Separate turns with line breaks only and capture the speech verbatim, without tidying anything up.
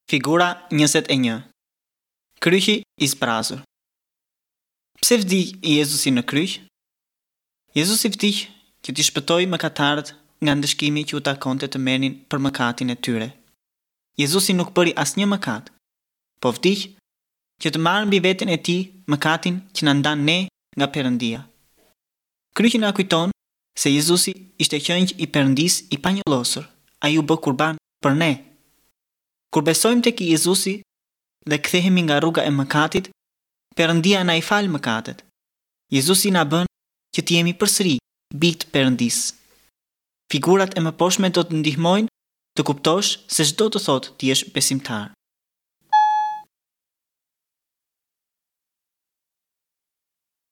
Figura njëzet e një. Kryqi i zbrazur. Pse vdiq Jezusi në kryq? Jezusi vdiq që t'i shpëtojë mëkatarët nga ndëshkimi që u takonte të merrnin për mëkatin e tyre. Jezusi nuk bëri asnjë mëkat, po vdiq që të marrë mbi veten e tij mëkatin që na ndan ne nga Perëndia. Kryqi na kujton se Jezusi ishte qengj i Perëndisë i panjollosur. Ai u bë kurban për ne. Kur besojmë tek Jezusi dhe kthehemi nga rruga e mëkatit, Perëndia na i fal mëkatet. Jezusi na bën që të jemi përsëri bij të Perëndisë. Figurat e mëposhtme do të ndihmojnë të kuptosh se ç'do të thotë të jesh besimtar.